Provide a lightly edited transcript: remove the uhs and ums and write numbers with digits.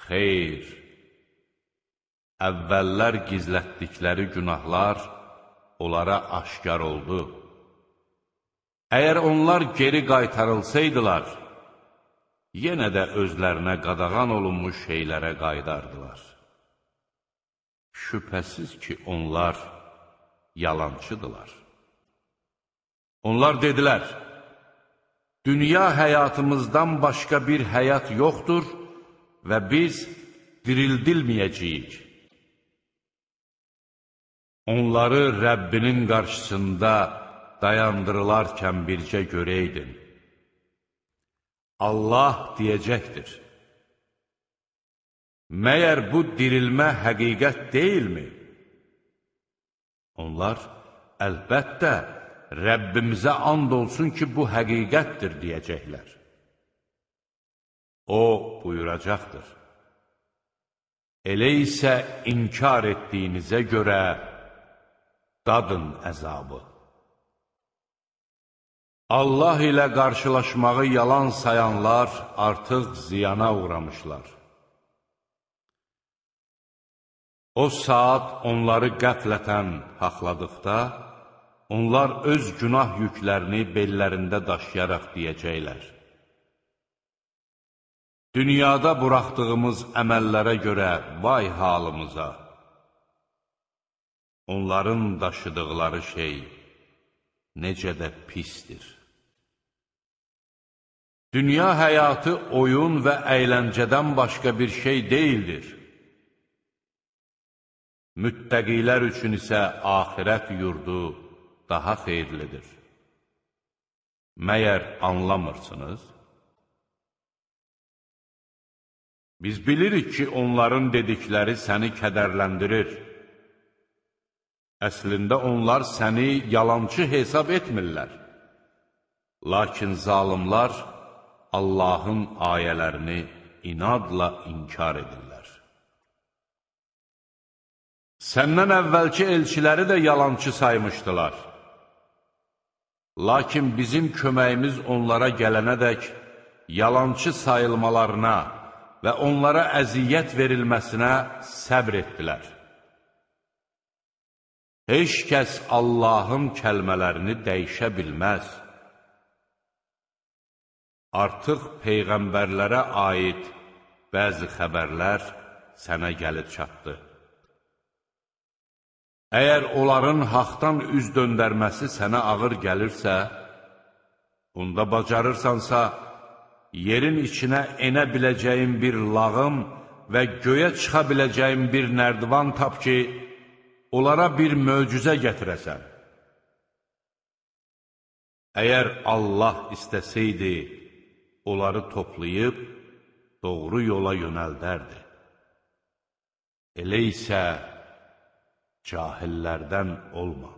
Xeyr, əvvəllər gizlətdikləri günahlar onlara aşkar oldu. Əgər onlar geri qaytarılsaydılar, yenə də özlərinə qadağan olunmuş şeylərə qaydardılar. Şübhəsiz ki, onlar yalançıdırlar. Onlar dedilər, dünya həyatımızdan başqa bir həyat yoxdur və biz dirildilməyəcəyik. Onları Rəbbinin qarşısında dayandırılarkən bircə görəydin. Allah deyəcəkdir, məyər bu dirilmə həqiqət deyilmi? Onlar, əlbəttə, Rəbbimizə and olsun ki, bu həqiqətdir, deyəcəklər. O buyuracaqdır, elə isə inkar etdiyinizə görə dadın əzabı. Allah ilə qarşılaşmağı yalan sayanlar artıq ziyana uğramışlar. O saat onları qəflətən haqladıqda, onlar öz günah yüklərini bellərində daşıyaraq deyəcəklər. Dünyada buraxdığımız əməllərə görə vay halımıza. Onların daşıdıqları şey necə də pisdir. Dünya həyatı oyun və əyləncədən başqa bir şey deyildir. Müttəqilər üçün isə axirət yurdu daha xeyirlidir. Məyər anlamırsınız? Biz bilirik ki, onların dedikləri səni kədərləndirir. Əslində onlar səni yalançı hesab etmirlər. Lakin zalimlar Allahın ayələrini inadla inkar edirlər. Səndən əvvəlki elçiləri də yalançı saymışdılar. Lakin bizim köməyimiz onlara gələnədək yalançı sayılmalarına və onlara əziyyət verilməsinə səbr etdilər. Heç kəs Allahın kəlmələrini dəyişə bilməz. Artıq peyğəmbərlərə aid bəzi xəbərlər sənə gəlib çatdı. Əgər onların haqdan üz döndərməsi sənə ağır gəlirsə, bunda bacarırsansa, yerin içinə enə biləcəyin bir lağım və göyə çıxa biləcəyin bir nərdivan tap ki, onlara bir möcüzə gətirəsən. Əgər Allah istəsəydi, onları toplayıb, doğru yola yönəldərdi. Elə isə cahillərdən olma.